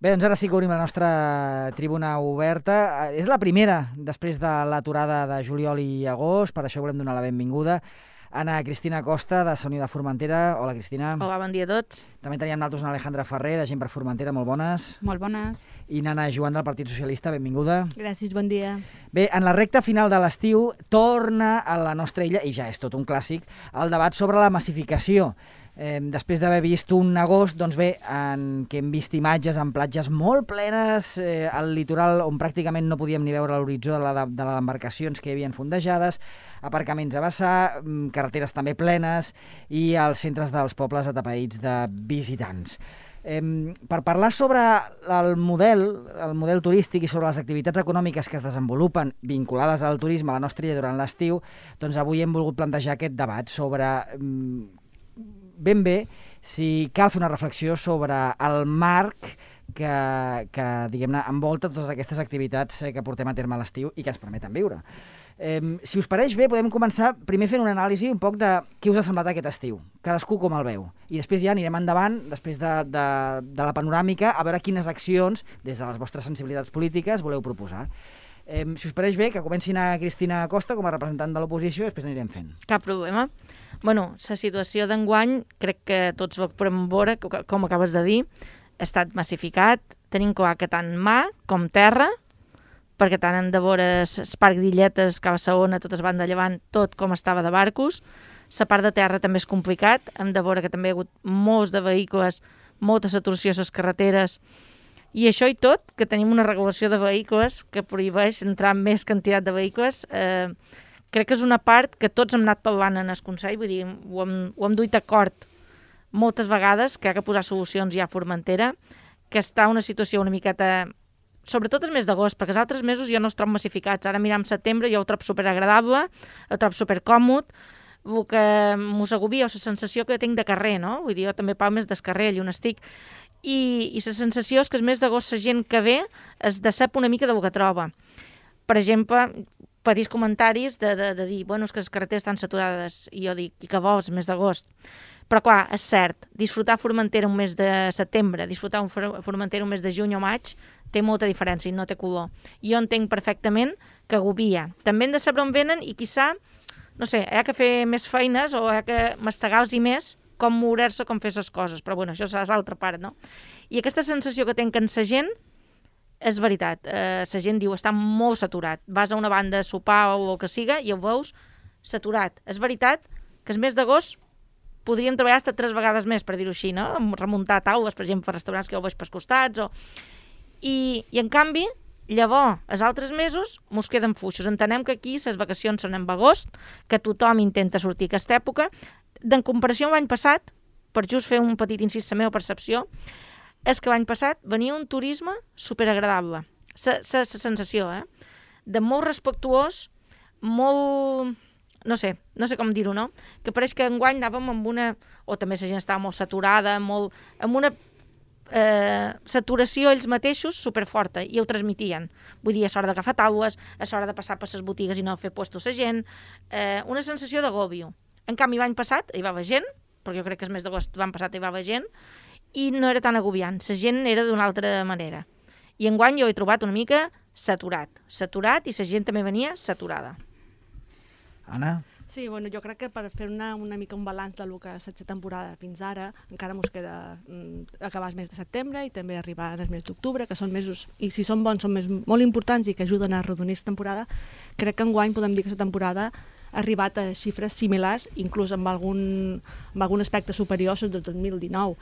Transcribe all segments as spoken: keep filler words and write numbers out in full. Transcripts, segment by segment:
Bé, doncs ara sí que obrim la nostra tribuna oberta. És la primera després de l'aturada de juliol i agost, per això volem donar la benvinguda a Ana Cristina Costa, de Unió de Formentera. Hola, Cristina. Hola, bon dia a tots. També teníem nosaltres una Alejandra Ferrer, de Gent per Formentera. Molt bones. Molt bones. I Nana Joan, del Partit Socialista. Benvinguda. Gràcies, bon dia. Bé, en la recta final de l'estiu torna a la nostra illa, i ja és tot un clàssic, el debat sobre la massificació. Eh, després d'haver vist un agost, doncs bé, en què hem vist imatges en platges molt plenes, eh, al litoral on pràcticament no podíem ni veure l'horitzó de la de, de les embarcacions que hi havia fondejades, aparcaments a vessar, carreteres també plenes i els centres dels pobles atapeïts de visitants. Eh, per parlar sobre el model, el model turístic i sobre les activitats econòmiques que es desenvolupen vinculades al turisme a la nostra illa durant l'estiu, doncs avui hem volgut plantejar aquest debat sobre eh, ben bé si cal fer una reflexió sobre el marc que, que diguem-ne, envolta totes aquestes activitats que portem a terme a l'estiu i que ens permeten viure. Eh, si us pareix bé, podem començar primer fent una anàlisi un poc de què us ha semblat aquest estiu, cadascú com el veu, i després ja anirem endavant, després de, de, de la panoràmica, a veure quines accions, des de les vostres sensibilitats polítiques, voleu proposar. Eh, si us pareix bé, que comencin a Cristina Costa com a representant de l'oposició, després anirem fent. Cap problema. Bueno, la situació d'enguany, crec que tots ho podem veure, com acabes de dir, ha estat massificat, tenim clar que tant mar com terra, perquè tant hem de veure el parc d'Illetes, Cava Saona, totes van de llevant, tot com estava de barcos. La part de terra també és complicat, hem de veure que també hi ha hagut molts de vehicles, molta saturació a les carreteres, i això i tot, que tenim una regulació de vehicles que prohibeix entrar en més quantitat de vehicles, eh, crec que és una part que tots hem anat parlant en el Consell, vull dir, ho hem, ho hem duit d'acord moltes vegades, que hi ha que posar solucions ja a Formentera, que està una situació una miqueta, sobretot el mes d'agost, perquè els altres mesos ja no es troben massificats. Ara mirar en setembre jo ho trobo superagradable, ho trobo supercòmod, el que m'ho agobia, o la sensació que tinc de carrer, no? Vull dir, jo també parlo més del carrer, allà on estic, i, i la sensació és que el mes d'agost la gent que ve es decep una mica del que troba. Per exemple, petits comentaris de, de, de dir, bueno, és que les carreteres estan saturades, i jo dic, i que vols, mes d'agost? Però clar, és cert, disfrutar Formentera un mes de setembre, disfrutar un Formentera un mes de juny o maig, té molta diferència i no té color. Jo entenc perfectament que agobia. També hem de saber on venen i, quizà, no sé, hi ha que fer més feines o hi ha que mastegar-los i més com moure-se, com fer les coses. Però bueno, això és l'altra part, no? I aquesta sensació que tenc en la gent és veritat. Eh, la gent diu, està molt saturat. Vas a una banda a sopar o el que siga i ho veus saturat. És veritat que el mes d'agost podríem treballar fins tres vegades més, per dir-ho així, no? Remuntar taules, per exemple, per restaurants que jo veig pels costats. O... I, I, en canvi, llavors, els altres mesos mos queden fluixos. Entenem que aquí les vacacions són en agost, que tothom intenta sortir a aquesta època. En comparació amb l'any passat, per just fer un petit incís, la meva percepció, és que l'any passat venia un turisme superagradable. La sensació, eh? De molt respectuós, molt... no sé, no sé com dir-ho, no? Que pareix que enguany anàvem amb una... o també la gent estava molt saturada, molt... amb una eh, saturació ells mateixos superforta, i ho transmitien. Vull dir, és hora d'agafar taules, és hora de passar per les botigues i no fer puestos a gent, eh, una sensació d'agòbio. En canvi, l'any passat hi va haver gent, perquè jo crec que el mes d'agost l'any passat hi va haver gent, i no era tan agobiant, la gent era d'una altra manera. I enguany jo he trobat una mica saturat, saturat, i la gent també venia saturada. Anna? Sí, bueno, jo crec que per fer una, una mica un balanç del que ha estat la temporada fins ara, encara ens queda mm, acabar el mes de setembre i també arribar al mes d'octubre, que són mesos, i si són bons, són mesos molt importants i que ajuden a arrodonir la temporada. Crec que enguany podem dir que la temporada ha arribat a xifres similars, inclús amb algun, amb algun aspecte superior al del dos mil dinou.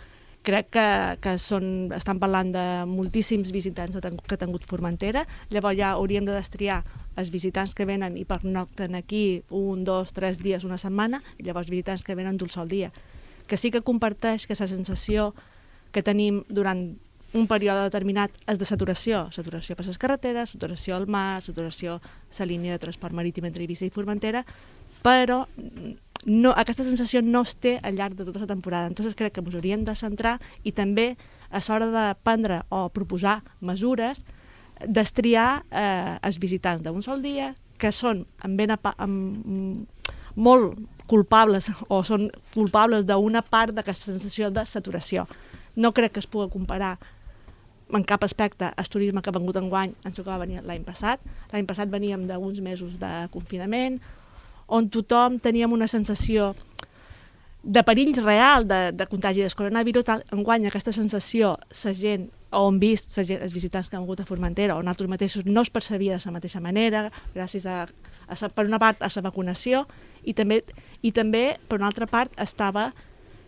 Crec que, que són, estan parlant de moltíssims visitants que ha tingut Formentera, llavors ja hauríem de destriar els visitants que venen i pernocten aquí un, dos, tres dies, una setmana, i llavors visitants que venen d'un sol dia. Que sí que comparteix que la sensació que tenim durant un període determinat és de saturació, saturació per les carreteres, saturació al mar, saturació a la línia de transport marítim entre Eivissa i Formentera, però no, aquesta sensació no es té al llarg de tota la temporada. Entonces crec que ens hauríem de centrar i també a l'hora de prendre o proposar mesures, destriar eh, els visitants d'un sol dia, que són amb ben apa, amb, molt culpables o són culpables d'una part d'aquesta sensació de saturació. No crec que es pugui comparar en cap aspecte el turisme que ha vengut enguany ens tocava venir l'any passat. L'any passat veníem d'uns mesos de confinament, on tothom teníem una sensació de perill real de, de contagi del coronavirus. Enguany aquesta sensació, la gent, o hem vist la gent, els visitants que han vingut a Formentera, o nosaltres mateixos, no es percebia de la mateixa manera, gràcies a, a per una part, a la vacunació, i també, i també, per una altra part, estava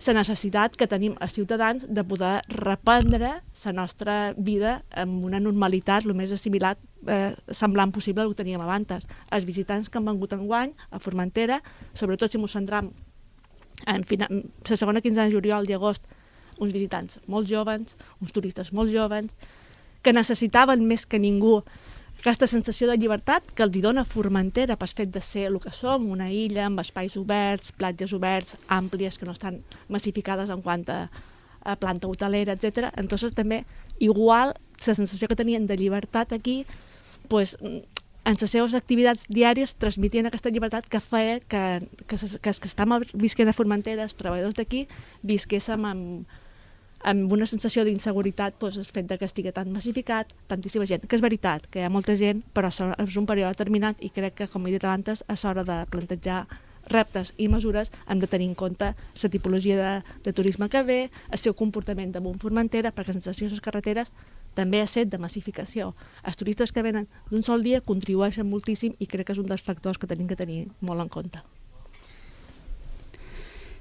la necessitat que tenim els ciutadans de poder reprendre la nostra vida amb una normalitat el més assimilat, eh, semblant possible al que teníem abans. Els visitants que han vengut enguany a Formentera, sobretot si ens centram en la segona quinzena de juliol i agost, uns visitants molt joves, uns turistes molt joves, que necessitaven més que ningú aquesta sensació de llibertat que els dona Formentera pel fet de ser el que som, una illa amb espais oberts, platges oberts, àmplies, que no estan massificades en quant a, a planta hotelera, etcètera. Entonces també, igual, la sensació que tenien de llibertat aquí, pues, en les seves activitats diàries transmitien aquesta llibertat que feia que, que, que, que els que estàvem visquent a Formentera, els treballadors d'aquí, visquéssim amb, amb una sensació d'inseguretat, doncs, el fet que estigui tan massificat, tantíssima gent, que és veritat, que hi ha molta gent, però és un període determinat i crec que, com he dit abans, és hora de plantejar reptes i mesures, hem de tenir en compte la tipologia de, de turisme que ve, el seu comportament damunt Formentera, perquè la sensació de les carreteres també ha set de massificació. Els turistes que venen d'un sol dia contribueixen moltíssim i crec que és un dels factors que tenim que tenir molt en compte.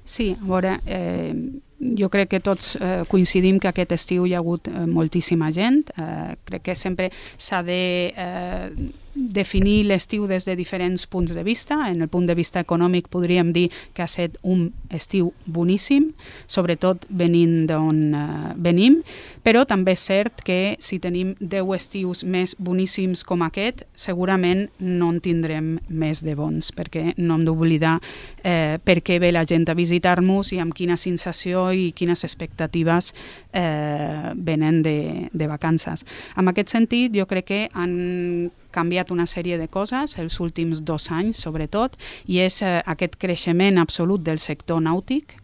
Sí, a veure, eh, jo crec que tots eh, coincidim que aquest estiu hi ha hagut eh, moltíssima gent. Eh, crec que sempre s'ha de eh, definir l'estiu des de diferents punts de vista. En el punt de vista econòmic podríem dir que ha estat un estiu boníssim, sobretot venint d'on eh, venim, però també és cert que si tenim deu estius més boníssims com aquest, segurament no en tindrem més de bons, perquè no hem d'oblidar eh, per què ve la gent a visitar-nos i amb quina sensació i quines expectatives eh, venen de, de vacances. En aquest sentit, jo crec que han canviat una sèrie de coses els últims dos anys, sobretot, i és eh, aquest creixement absolut del sector nàutic,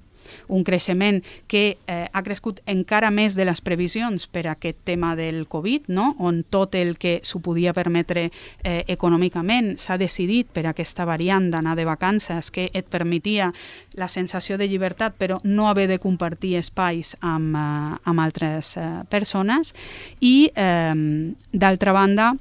un creixement que eh, ha crescut encara més de les previsions per aquest tema del Covid, no? On tot el que s'ho podia permetre eh, econòmicament s'ha decidit per aquesta variant d'anar de vacances que et permetia la sensació de llibertat però no haver de compartir espais amb, eh, amb altres eh, persones i, eh, d'altra banda,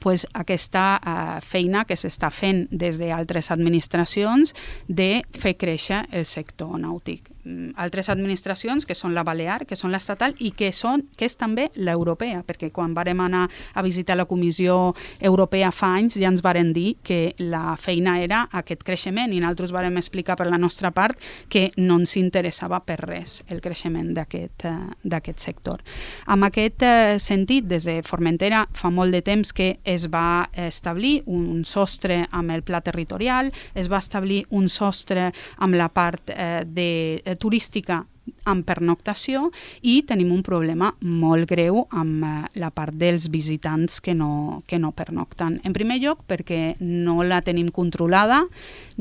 pues, aquesta uh, feina que s'està fent des d'altres administracions de fer créixer el sector nàutic. Mm, altres administracions que són la Balear, que són l'estatal i que, són, que és també l'europea, perquè quan vàrem anar a visitar la Comissió Europea fa anys ja ens varen dir que la feina era aquest creixement i nosaltres vàrem explicar per la nostra part que no ens interessava per res el creixement d'aquest uh, d'aquest sector. En aquest uh, sentit, des de Formentera fa molt de temps que es va establir un sostre amb el pla territorial, es va establir un sostre amb la part eh, de, eh, turística amb pernoctació i tenim un problema molt greu amb eh, la part dels visitants que no, que no pernocten. En primer lloc perquè no la tenim controlada,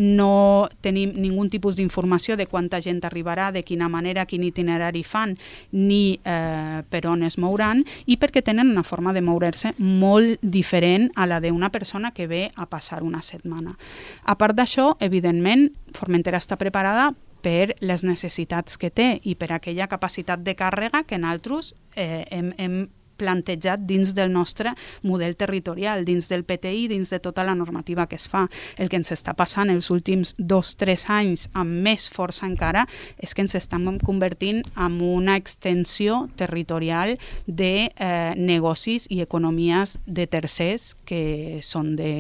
no tenim ningú tipus d'informació de quanta gent arribarà, de quina manera, quin itinerari fan, ni eh, per on es mouran, i perquè tenen una forma de moure's molt diferent a la d'una persona que ve a passar una setmana. A part d'això, evidentment, Formentera està preparada per les necessitats que té i per aquella capacitat de càrrega que nosaltres eh, hem, hem plantejat dins del nostre model territorial, dins del P T I, dins de tota la normativa que es fa. El que ens està passant els últims dos o tres anys amb més força encara és que ens estem convertint en una extensió territorial de eh, negocis i economies de tercers que són de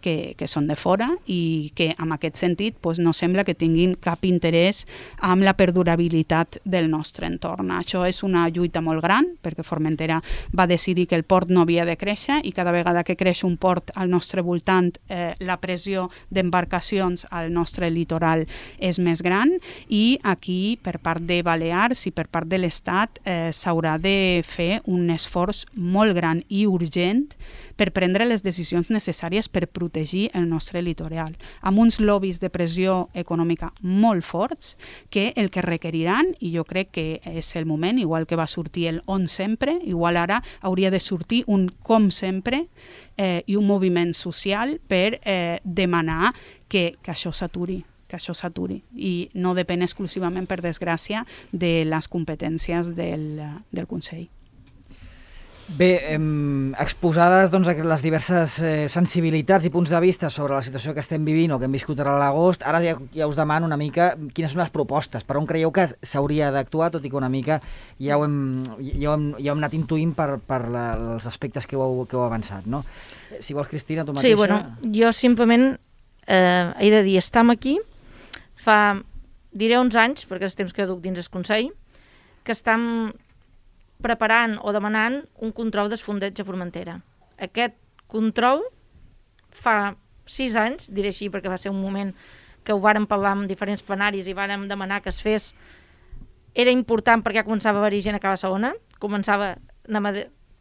Que, que són de fora i que en aquest sentit pues, no sembla que tinguin cap interès amb la perdurabilitat del nostre entorn. Això és una lluita molt gran perquè Formentera va decidir que el port no havia de créixer i cada vegada que creix un port al nostre voltant eh, la pressió d'embarcacions al nostre litoral és més gran i aquí per part de Balears i per part de l'Estat eh, s'haurà de fer un esforç molt gran i urgent per prendre les decisions necessàries per protegir protegir el nostre litoral, amb uns lobbies de pressió econòmica molt forts que el que requeriran, i jo crec que és el moment, igual que va sortir el on sempre, igual ara hauria de sortir un com sempre eh, i un moviment social per eh, demanar que, que això s'aturi. que això s'aturi i no depèn exclusivament, per desgràcia, de les competències del, del Consell. Bé, eh, exposades doncs, les diverses eh, sensibilitats i punts de vista sobre la situació que estem vivint o que hem viscut ara a l'agost, ara ja, ja us demano una mica quines són les propostes, per on creieu que s'hauria d'actuar, tot i que una mica ja ho hem, ja ho hem, ja ho hem anat intuint per, per la, els aspectes que heu, que heu avançat, no? Si vols, Cristina, tu mateixa... Sí, bueno, jo simplement eh, he de dir, estem aquí, fa, diré uns anys, perquè és temps que duc dins el Consell, que estem preparant o demanant un control d'esfondeig a Formentera. Aquest control fa sis anys, diré així, perquè va ser un moment que ho vàrem parlar amb diferents plenaris i vàrem demanar que es fes. Era important perquè començava a haver-hi gent a Cala Segona, començava,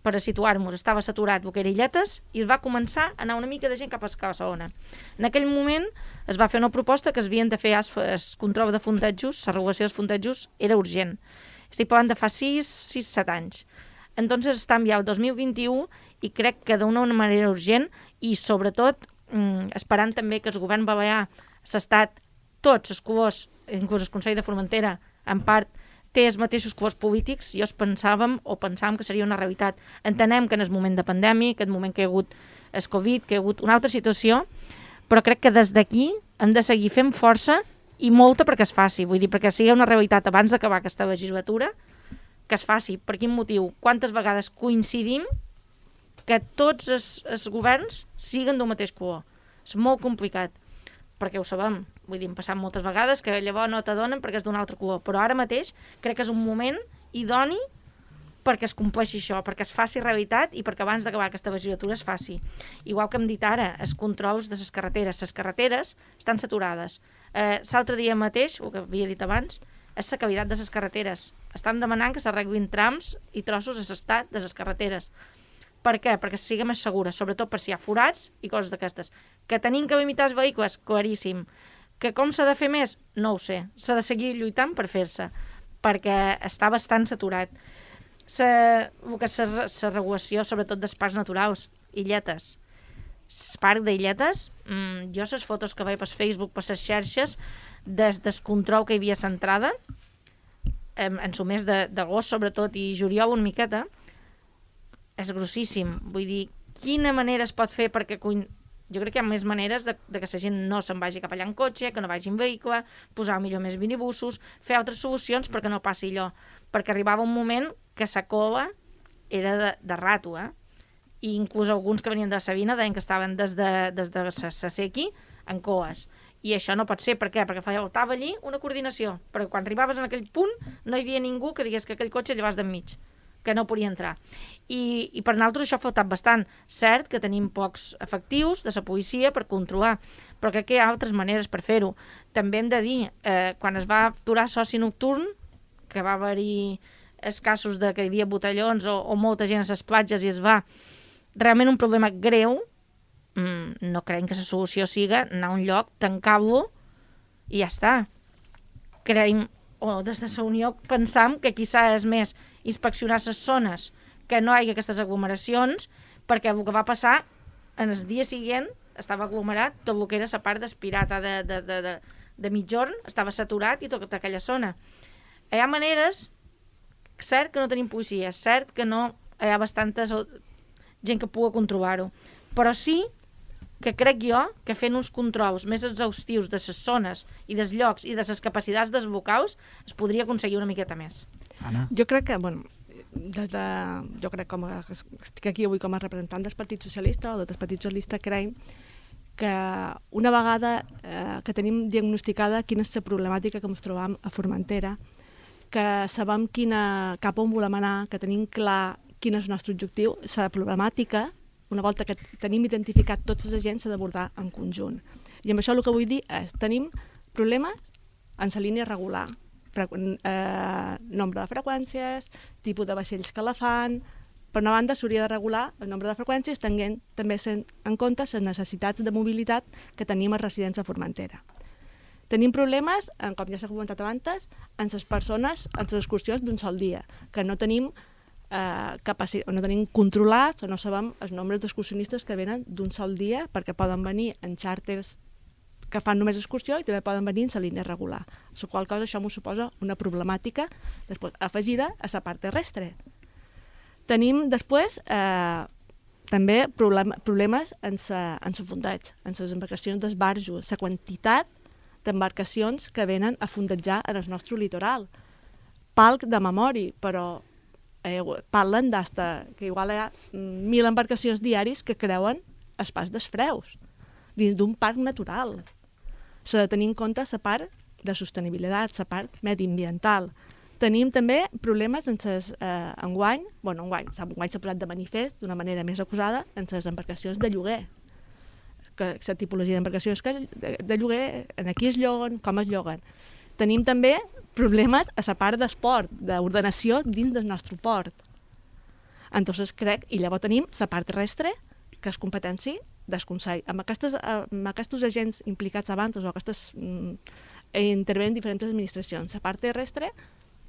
per a situar-nos, estava saturat el que era Illetes i es va començar a anar una mica de gent cap a Cala Segona. En aquell moment es va fer una proposta que es havien de fer el control de fondejos, la regulació dels fondejos era urgent. Estic parlant de fa sis, sis, set anys. Entonces estem ja el dos mil vint-i-u i crec que d'una manera urgent i sobretot mm, esperant també que el govern balear s'ha estat tots els colors, inclús el Consell de Formentera, en part té els mateixos colors polítics, i els pensàvem o pensàvem que seria una realitat. Entenem que en el moment de pandèmia, aquest moment que hi ha hagut el Covid, que hi ha hagut una altra situació, però crec que des d'aquí hem de seguir fent força i molta perquè es faci, vull dir, perquè sigui una realitat abans d'acabar aquesta legislatura, que es faci. Per quin motiu? Quantes vegades coincidim que tots els, els governs siguen del mateix color? És molt complicat, perquè ho sabem. Vull dir, hem passat moltes vegades que llavors no t'adonen perquè és d'un altre color, però ara mateix crec que és un moment idoni perquè es compleixi això, perquè es faci realitat i perquè abans d'acabar aquesta legislatura es faci. Igual que hem dit ara, els controls de les carreteres. Les carreteres estan saturades. Eh, L'altre dia mateix, el que havia dit abans, és la qualitat de les carreteres. Estan demanant que s'arreglin trams i trossos a l'estat de les carreteres. Per què? Perquè sigui més segura, sobretot per si hi ha forats i coses d'aquestes. Que tenim que limitar els vehicles? Claríssim. Que com s'ha de fer més? No ho sé. S'ha de seguir lluitant per fer-se, perquè està bastant saturat. La, el que és la regulació, sobretot dels parcs naturals, Illetes. El parc d'Illetes, mmm, jo les fotos que veig per Facebook, per les xarxes, des del control que hi havia centrada, en, en el mes d'agost sobretot i juliol una miqueta, és grossíssim. Vull dir, quina manera es pot fer perquè... Jo crec que hi ha més maneres de, de que la gent no se'n vagi cap allà en cotxe, que no vagi en vehicle, posar millor més minibussos, fer altres solucions perquè no passi allò. Perquè arribava un moment que la cova era de, de rato, eh? I inclús alguns que venien de Sabina deien que estaven des de, des de Sasequi en coes. I això no pot ser. Per què? Perquè faltava allí una coordinació. Perquè quan arribaves en aquell punt no hi havia ningú que digués que aquell cotxe llevaves d'enmig, que no podia entrar. I, i per nosaltres això ha faltat bastant. Cert que tenim pocs efectius de la policia per controlar, però crec que hi ha altres maneres per fer-ho. També hem de dir, eh, quan es va aturar soci nocturn, que va haver-hi els casos de que hi havia botellons o, o molta gent a les platges i es va... Realment un problema greu, mm, no creiem que la solució siga anar a un lloc, tancar-lo i ja està. Creiem, o des de la Unió pensam que quizà és més inspeccionar les zones, que no hi hagi aquestes aglomeracions, perquè el que va passar en el dia següent estava aglomerat tot el que era la part d'espirata de, de, de, de, de mitjorn, estava saturat i tota aquella zona. Hi ha maneres, cert que no tenim policia, cert que no hi ha bastantes gent que pugui controlar-ho, però sí que crec jo que fent uns controls més exhaustius de les zones i dels llocs i de les capacitats dels locals es podria aconseguir una miqueta més. Anna? Jo crec que, bueno, des de, jo crec com a, estic aquí avui com a representant del Partit Socialista o del Partit Socialista, creiem que una vegada eh, que tenim diagnosticada quina és la problemàtica que ens trobam a Formentera, que sabem quina, cap on volem anar, que tenim clar quin és el nostre objectiu, la problemàtica, una volta que tenim identificat tots els agents, s'ha d'abordar en conjunt. I amb això el que vull dir és, tenim problemes en la línia regular, Frequ eh, nombre de freqüències, tipus de vaixells que la fan, Per una banda, s'hauria de regular el nombre de freqüències tenint també en compte les necessitats de mobilitat que tenim a residents a Formentera. Tenim problemes, com ja s'ha comentat abans, en les persones, en les excursions d'un sol dia, que no tenim, eh, capacitat, no tenim controlats o no sabem els nombres d'excursionistes que venen d'un sol dia, perquè poden venir en xàrters que fan només excursió i també poden venir en la línia regular. La qual cosa això m'ho suposa una problemàtica després, afegida a la part terrestre. Tenim després eh, també problem, problemes en el fondeig, en les embarcacions d'esbarjo, la quantitat d'embarcacions que venen a fondejar en el nostre litoral. Palc de memòria, però eh, parlen d'hasta que igual hi ha mil embarcacions diaris que creuen el pas dels freus dins d'un parc natural. S'ha de tenir en compte la part de sostenibilitat, la part mediambiental. Tenim també problemes en ses, eh, enguany, bueno, enguany, enguany s'ha posat de manifest d'una manera més acusada en les embarcacions de lloguer. Que la tipologia d'embarcacions que de, de lloguer, en aquí es lloguen, com es lloguen. Tenim també problemes a la part d'esport, d'ordenació dins del nostre port. Entonces crec, i llavors tenim la part terrestre, que és competència del Consell. Amb, aquestes, amb aquests agents implicats abans, o aquestes mm, intervenen diferents administracions. La part terrestre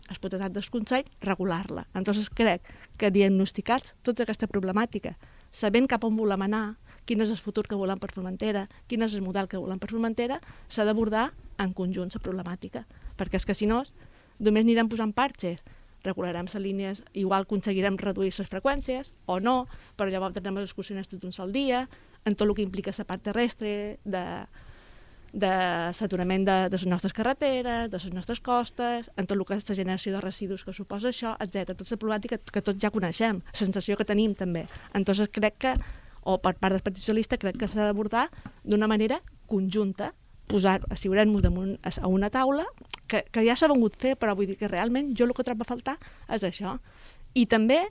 és potestat del Consell regular-la. Entonces crec que diagnosticats tota aquesta problemàtica, sabent cap on volem anar, quin és el futur que volem per Formentera, quin és el model que volem per Formentera, s'ha d'abordar en conjunt la problemàtica. Perquè és que si no, només anirem posant parxes, regularem les línies, igual aconseguirem reduir les freqüències, o no, però llavors tindrem els excursionistes d'un sol dia, en tot el que implica la part terrestre, de... de saturament de, de les nostres carreteres, de les nostres costes, en tot el que és la generació de residus que suposa això, etcètera. Tota la problemàtica que tots ja coneixem, la sensació que tenim també. Entonces crec que, o per part del Partit Socialista, crec que s'ha d'abordar d'una manera conjunta, posar, asseure'ns damunt a una taula, que, que ja s'ha vengut fer, però vull dir que realment jo el que trobo a faltar és això. I també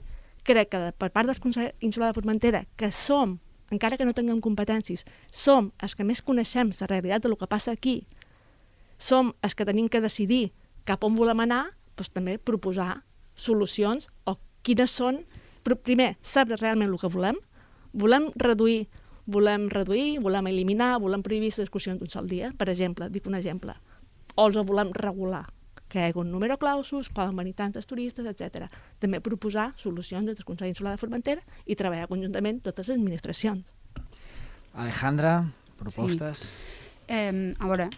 crec que per part del Consell Insular de Formentera, que som, encara que no tinguem competències, som els que més coneixem la realitat del que passa aquí, som els que tenim que decidir cap on volem anar, doncs també proposar solucions o quines són, però primer, saber realment el que volem, volem reduir, volem reduir, volem eliminar, volem prohibir les excursions d'un sol dia, per exemple, dic un exemple, o els volem regular, que hi hagi un número clausus, poden venir tantes turistes, etcètera. També proposar solucions des del Consell Insular de Formentera i treballar conjuntament totes les administracions. Alejandra, propostes? Sí. Eh, a veure,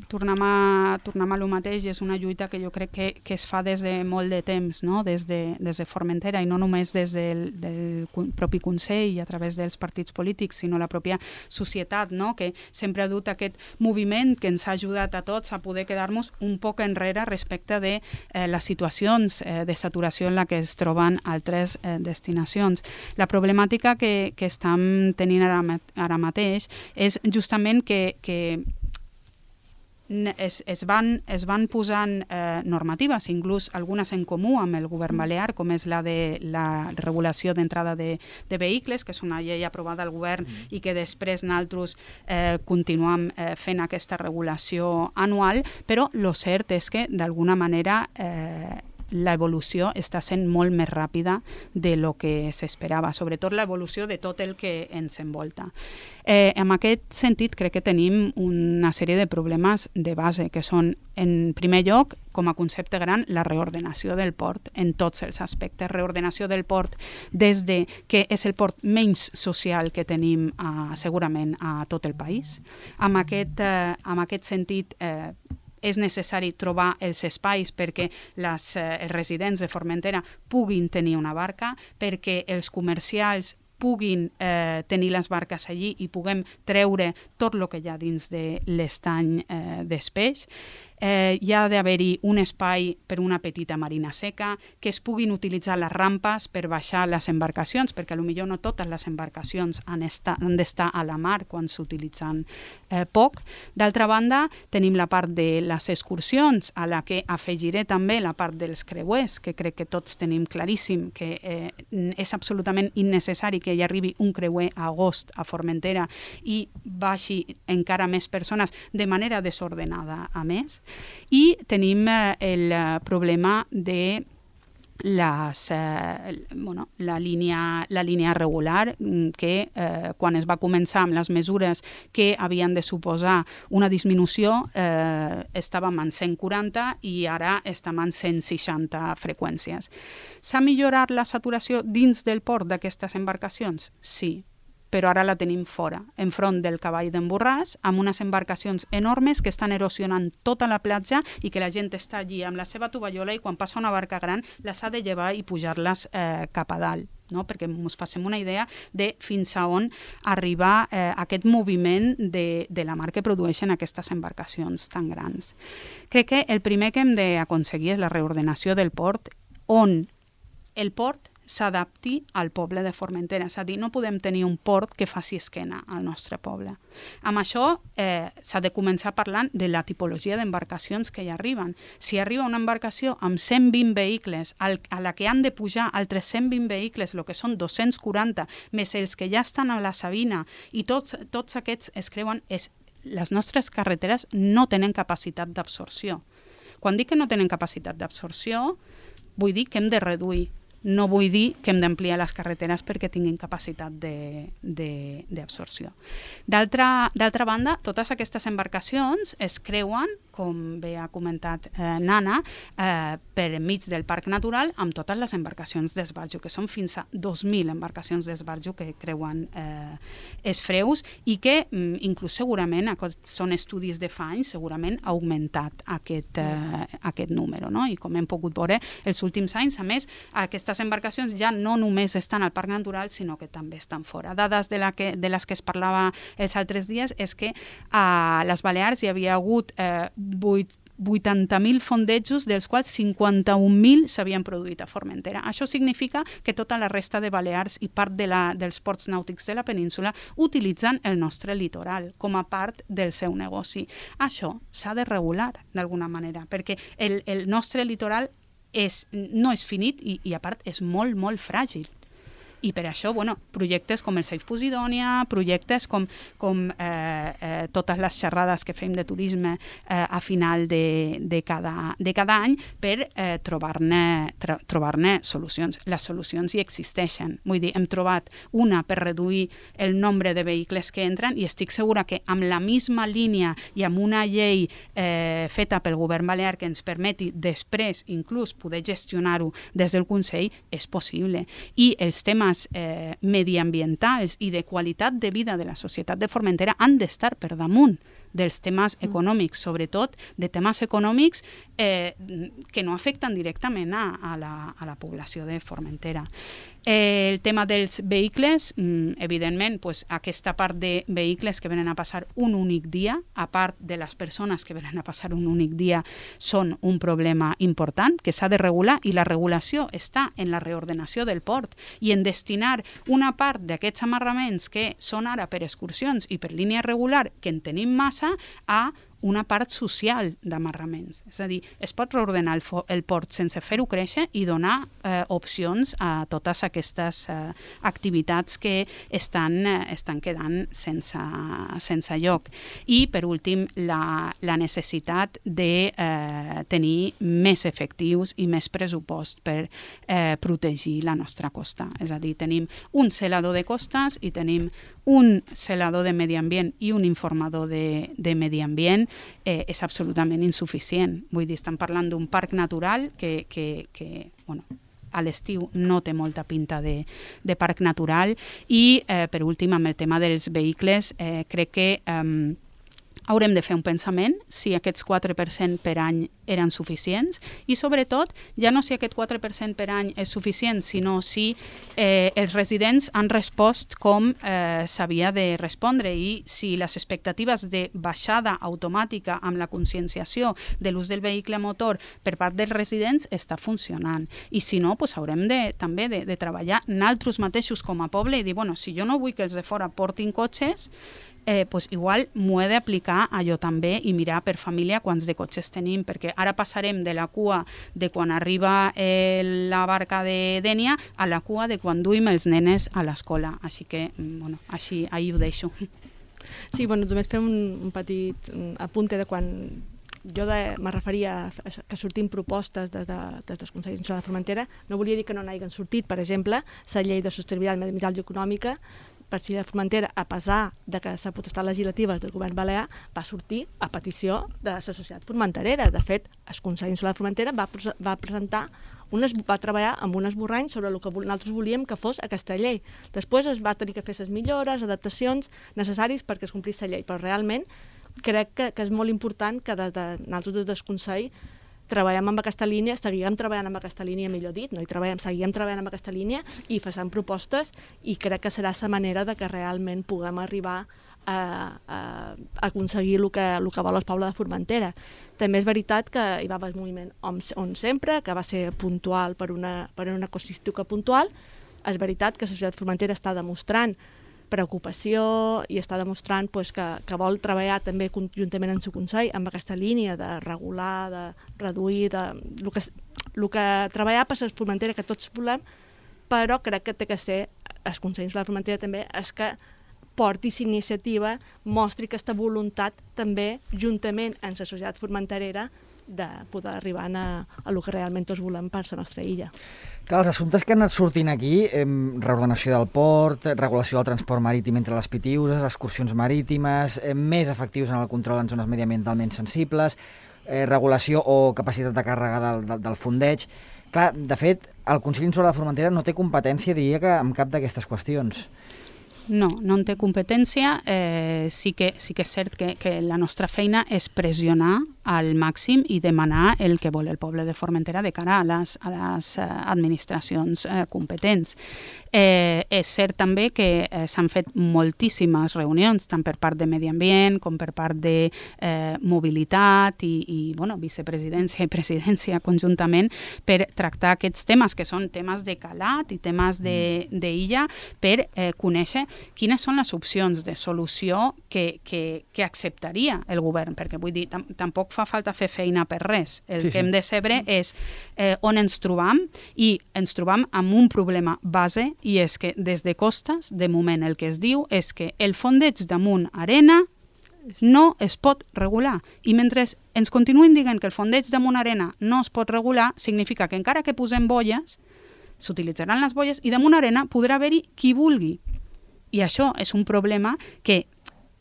tornem a, tornem a lo mateix, és una lluita que jo crec que, que es fa des de molt de temps, no? des, de, des de Formentera, i no només des del, del propi Consell i a través dels partits polítics, sinó la pròpia societat, no? Que sempre ha dut aquest moviment que ens ha ajudat a tots a poder quedar-nos un poc enrere respecte de eh, les situacions eh, de saturació en la que es troben altres eh, destinacions. La problemàtica que, que estem tenint ara, ara mateix és justament que, que Es, es, van, es van posant eh, normatives, inclús algunes en comú amb el govern balear, com és la de la regulació d'entrada de, de vehicles, que és una llei aprovada al govern mm. i que després nosaltres eh, continuem eh, fent aquesta regulació anual, però el cert és que d'alguna manera eh, l'evolució està sent molt més ràpida de lo que s'esperava, sobretot l'evolució de tot el que ens envolta. Eh, en aquest sentit, crec que tenim una sèrie de problemes de base, que són, en primer lloc, com a concepte gran, la reordenació del port en tots els aspectes. Reordenació del port des de que és el port menys social que tenim eh, segurament a tot el país. Amb aquest, eh, amb aquest sentit, eh, és necessari trobar els espais perquè les, eh, els residents de Formentera puguin tenir una barca, perquè els comercials puguin eh, tenir les barques allí i puguem treure tot el que hi ha dins de l'estany eh, d'espeix. Eh, hi ha d'haver-hi un espai per una petita marina seca, que es puguin utilitzar les rampes per baixar les embarcacions, perquè potser no totes les embarcacions han, esta, han d'estar a la mar quan s'utilitzen eh, poc. D'altra banda, tenim la part de les excursions, a la que afegiré també la part dels creuers, que crec que tots tenim claríssim que eh, és absolutament innecessari que hi arribi un creuer a agost a Formentera i baixi encara més persones de manera desordenada a més. I tenim eh, el problema de les, eh, bueno, la, línia, la línia regular que eh, quan es va començar amb les mesures que havien de suposar una disminució eh, estàvem en cent quaranta i ara estem en cent seixanta freqüències. S'ha millorat la saturació dins del port d'aquestes embarcacions? Sí, però ara la tenim fora, enfront del cavall d'en Borràs, amb unes embarcacions enormes que estan erosionant tota la platja i que la gent està allí amb la seva tovallola i quan passa una barca gran les ha de llevar i pujar-les eh, cap a dalt, no? Perquè ens facem una idea de fins a on arriba eh, aquest moviment de, de la mar que produeixen aquestes embarcacions tan grans. Crec que el primer que hem d'aconseguir és la reordenació del port, on el port s'adapti al poble de Formentera. És a dir, no podem tenir un port que faci esquena al nostre poble. Amb això eh, s'ha de començar parlant de la tipologia d'embarcacions que hi arriben. Si arriba una embarcació amb cent vint vehicles, al, a la que han de pujar altres cent vint vehicles, el que són dos-cents quaranta, més els que ja estan a la Sabina, i tots, tots aquests es creuen, és, les nostres carreteres no tenen capacitat d'absorció. Quan dic que no tenen capacitat d'absorció, vull dir que hem de reduir. No vull dir que hem d'ampliar les carreteres perquè tinguin capacitat d'absorció. D'altra banda, totes aquestes embarcacions es creuen, com bé ha comentat eh, Nana, eh, per enmig del parc natural amb totes les embarcacions d'esbarjo, que són fins a dos mil embarcacions d'esbarjo que creuen eh, els freus i que mm, inclús segurament, són estudis de fa anys, segurament ha augmentat aquest, eh, aquest número. No? I com hem pogut veure els últims anys, a més, aquestes embarcacions ja no només estan al parc natural, sinó que també estan fora. Dades de, la que, de les que es parlava els altres dies és que a les Balears hi havia hagut eh, vuitanta mil fondejos, dels quals cinquanta-un mil s'havien produït a Formentera. Això significa que tota la resta de Balears i part de la, dels ports nàutics de la península utilitzen el nostre litoral com a part del seu negoci. Això s'ha de regular d'alguna manera, perquè el, el nostre litoral és, no és finit i, i a part és molt, molt fràgil. I per això, bueno, projectes com el Safe Posidònia, projectes com, com eh, eh, totes les xerrades que fem de turisme eh, a final de, de, cada, de cada any per eh, trobar-ne tro, trobar-ne solucions. Les solucions hi existeixen. Vull dir, hem trobat una per reduir el nombre de vehicles que entren i estic segura que amb la misma línia i amb una llei eh, feta pel govern balear que ens permeti després inclús poder gestionar-ho des del Consell és possible. I els temes Eh, mediambientals i de qualitat de vida de la societat de Formentera han d'estar per damunt dels temes econòmics, sobretot de temes econòmics eh, que no afecten directament a, a, la, a la població de Formentera. Eh, el tema dels vehicles, mm, evidentment, pues, aquesta part de vehicles que venen a passar un únic dia, a part de les persones que venen a passar un únic dia, són un problema important que s'ha de regular i la regulació està en la reordenació del port i en destinar una part d'aquests amarraments que són ara per excursions i per línia regular, que en tenim massa, a una part social d'amarraments. És a dir, es pot reordenar el, el port sense fer-ho créixer i donar eh, opcions a totes aquestes eh, activitats que estan, eh, estan quedant sense, sense lloc. I, per últim, la, la necessitat de eh, tenir més efectius i més pressupost per eh, protegir la nostra costa. És a dir, tenim un celador de costes i tenim un celador de medi ambient i un informador de, de medi ambient eh, és absolutament insuficient. Vull dir, estem parlant d'un parc natural que, que, que bueno, a l'estiu no té molta pinta de, de parc natural i, eh, per últim, amb el tema dels vehicles, eh, crec que eh, haurem de fer un pensament si aquests quatre per cent per any eren suficients i, sobretot, ja no si aquest quatre per cent per any és suficient, sinó si eh, els residents han respost com eh, s'havia de respondre i si les expectatives de baixada automàtica amb la conscienciació de l'ús del vehicle motor per part dels residents està funcionant. I si no, doncs haurem de, també de, de treballar nosaltres mateixos com a poble i dir, bueno, si jo no vull que els de fora portin cotxes, Eh, pues igual m'ho he d'aplicar a jo també i mirar per família quants de cotxes tenim, perquè ara passarem de la cua de quan arriba eh, la barca de Dénia a la cua de quan duim els nenes a l'escola. Així que, bueno, així, ahí ho deixo. Sí, bueno, només fem un, un petit apunte de quan jo de, me referia a que sortim propostes des, de, des dels Consells Insulars de Formentera, no volia dir que no n'hagin sortit, per exemple, la llei de sostenibilitat mediambiental i econòmica per si de Formentera, a pesar de que la potestat legislativa del govern balear va sortir a petició de la societat formenterera. De fet, el Consell Insular de Formentera va, va presentar un es, va treballar amb un esborrany sobre el que nosaltres volíem que fos aquesta llei. Després es va tenir que fer les millores, adaptacions necessàries perquè es complís la llei, però realment crec que, que és molt important que des de nosaltres des del Consell treballem amb aquesta línia, seguíem treballant amb aquesta línia, millor dit, no hi treballem, seguíem treballant amb aquesta línia i facem propostes i crec que serà la manera de que realment puguem arribar a, a, a aconseguir el que, el que vol el poble de Formentera. També és veritat que hi va haver el moviment on, on sempre, que va ser puntual per una, per una casuística puntual. És veritat que la societat formentera està demostrant preocupació i està demostrant pues, que, que vol treballar també conjuntament en el Consell amb aquesta línia de regular, de reduir, de el que, el que treballar per la Formentera que tots volem, però crec que té que ser el Consell de la Formentera també és que porti aquesta iniciativa, mostri aquesta voluntat també juntament amb la societat formenterera de poder arribar a, a el que realment tots volem per la nostra illa. Clar, els assumptes que han anat sortint aquí, eh, reordenació del port, regulació del transport marítim entre les Pitiüses, excursions marítimes, eh, més efectius en el control en zones mediambientalment sensibles, eh, regulació o capacitat de càrrega del, del, del fondeig. Clar, de fet, el Consell Insular de Formentera no té competència, diria que, en cap d'aquestes qüestions. No, no en té competència. Eh, sí, que, sí que és cert que, que la nostra feina és pressionar al màxim i demanar el que vol el poble de Formentera de cara a les, a les eh, administracions eh, competents. Eh, és cert també que eh, s'han fet moltíssimes reunions, tant per part de Medi Ambient com per part de eh, Mobilitat i, i bueno, vicepresidència i presidència conjuntament per tractar aquests temes, que són temes de calat i temes d'illa, per eh, conèixer quines són les opcions de solució que, que, que acceptaria el govern, perquè vull dir, tam tampoc fa falta fer feina per res. El sí, que sí. hem de saber és eh, on ens trobam, i ens trobam amb un problema base, i és que des de Costes, de moment el que es diu és que el fondeig damunt arena no es pot regular. I mentre ens continuïn dient que el fondeig damunt arena no es pot regular, significa que encara que posem bolles, s'utilitzaran les bolles i damunt arena podrà haver-hi qui vulgui. I això és un problema que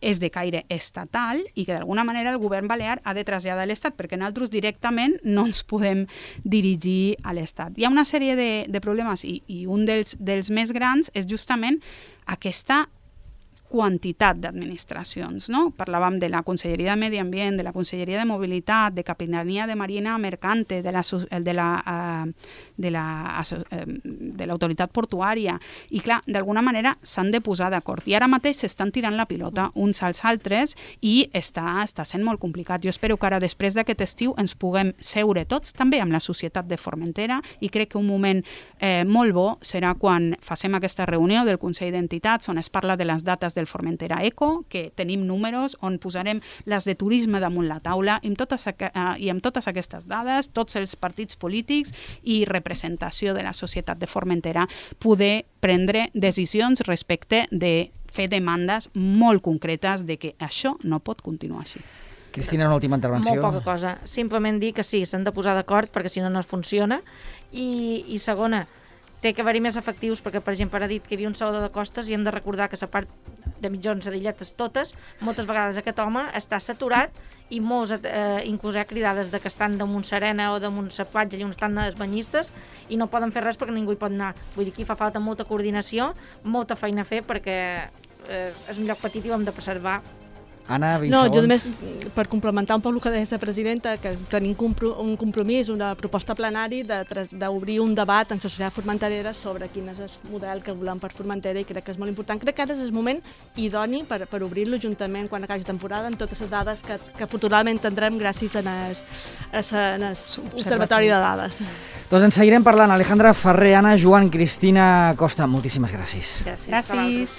és de caire estatal i que d'alguna manera el govern balear ha de traslladar a l'Estat, perquè nosaltres directament no ens podem dirigir a l'Estat. Hi ha una sèrie de, de problemes i, i un dels, dels més grans és justament aquesta quantitat d'administracions, no? Parlàvem de la Conselleria de Medi Ambient, de la Conselleria de Mobilitat, de Capitania de Marina Mercante, de la de la uh, de la de l'autoritat portuària, i clar, d'alguna manera s'han de posar d'acord. I ara mateix s'estan tirant la pilota uns als altres i està, està sent molt complicat. Jo espero que ara, després d'aquest estiu, ens puguem seure tots, també amb la societat de Formentera, i crec que un moment eh, molt bo serà quan facem aquesta reunió del Consell d'Entitats on es parla de les dates del Formentera Eco, que tenim números on posarem les de turisme damunt la taula i amb totes, i amb totes aquestes dades, tots els partits polítics i representació de la societat de Formentera poder prendre decisions respecte de fer demandes molt concretes de que això no pot continuar així. Cristina, una última intervenció. Molt poca cosa. Simplement dir que sí, s'han de posar d'acord perquè si no no funciona. I, i segona, té que haver-hi més efectius perquè, per exemple, ara ha dit que hi havia un salvador de costes i hem de recordar que la part de mitjons a d'illetes totes, moltes vegades aquest home està saturat i molts, eh, inclús hi ha cridades de que estan damunt Serena o damunt la platja i on estan els banyistes i no poden fer res perquè ningú hi pot anar. Vull dir que hi fa falta molta coordinació, molta feina a fer perquè eh, és un lloc petit i ho hem de preservar. Anna, vint no, segons. jo només, per complementar un poc el que deia la presidenta, que tenim un compromís, una proposta plenari d'obrir un debat en la societat formenterera sobre quin és el model que volem per Formentera, i crec que és molt important. Crec que ara és el moment idoni per, per obrir-lo juntament quan acabi temporada amb totes les dades que, que futurament tindrem gràcies a l'Observatori de Dades. Doncs en seguirem parlant. Alejandra Ferrer, Anna, Joan, Cristina Costa, moltíssimes gràcies. Gràcies. Gràcies.